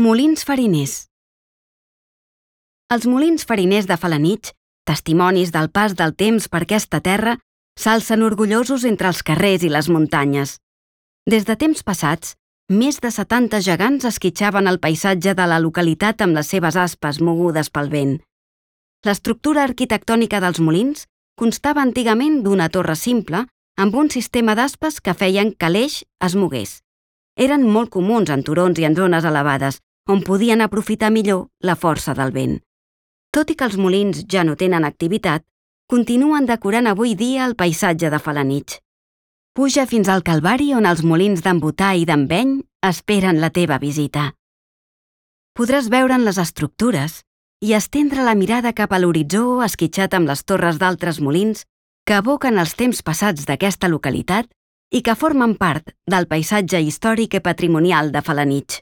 Molins fariners. Els molins fariners de Felanitx, testimonis del pas del temps per aquesta terra, s'alcen orgullosos entre els carrers i les muntanyes. Des de temps passats, més de 70 gegants esquitxaven el paisatge de la localitat amb les seves aspes mogudes pel vent. L'estructura arquitectònica dels molins constava antigament d'una torre simple amb un sistema d'aspes que feien que l'eix es mogués. Eren molt comuns en turons i en zones elevades, on podien aprofitar millor la força del vent. Tot i que els molins ja no tenen activitat, continuen decorant avui dia el paisatge de Felanitx. Puja fins al Calvari on els molins d'en Botà i d'en Beny esperen la teva visita. Podràs veure'n les estructures i estendre la mirada cap a l'horitzó esquitxat amb les torres d'altres molins que evoquen els temps passats d'aquesta localitat i que formen part del paisatge històric i patrimonial de Felanitx.